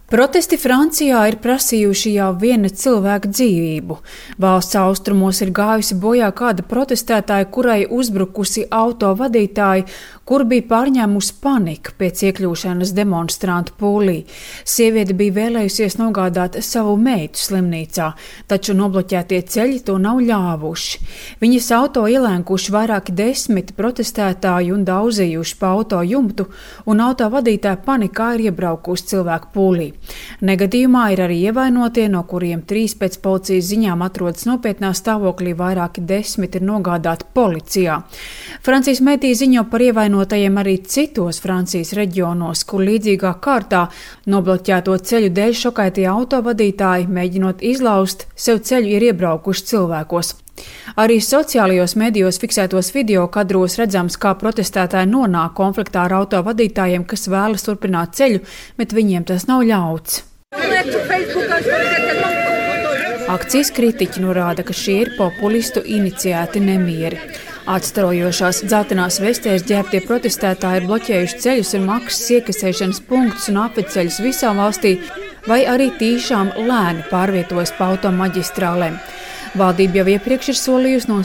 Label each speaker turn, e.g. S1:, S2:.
S1: Protesti Francijā ir prasījuši jau viena cilvēka dzīvību. Valsts austrumos ir gājusi bojā kāda protestētāja, kurai uzbrukusi auto vadītāji, kur bija pārņēmusi panika pēc iekļūšanas demonstrantu pūlī. Sieviete bija vēlējusies nogādāt savu meitu slimnīcā, taču nobloķētie ceļi to nav ļāvuši. Viņas auto ielēnkuši vairāki desmit protestētāji un daudzījuši pa auto jumtu, un auto vadītāja panikā ir iebraukusi cilvēku pūlī. Negadījumā ir arī ievainotie, no kuriem 3 pēc policijas ziņām atrodas nopietnā stāvoklī, vairāki 10 ir nogādāti policijā. Francijas mediji ziņo par ievainotajiem arī citos Francijas reģionos, kur līdzīgā kārtā nobloķēto ceļu dēļ šokētie autovadītāji, mēģinot izlaust sev ceļu, ir iebraukuši cilvēkos. Arī sociālajos medijos fiksētos video kadros redzams, kā protestētāji nonāk konfliktā ar autovadītājiem, kas vēlas turpināt ceļu, bet viņiem tas nav ļauts. Akcijas kritiķi norāda, ka šie ir populistu iniciēti nemieri. Atstarojošās dzeltenās vestēs ģērbtie protestētāji ir bloķējuši ceļus un maksas iekasēšanas punktus un apveceļus visā valstī, vai arī tīšām lēni pārvietojas pa automaģistrālēm. Valdība jau iepriekš ir solījusi no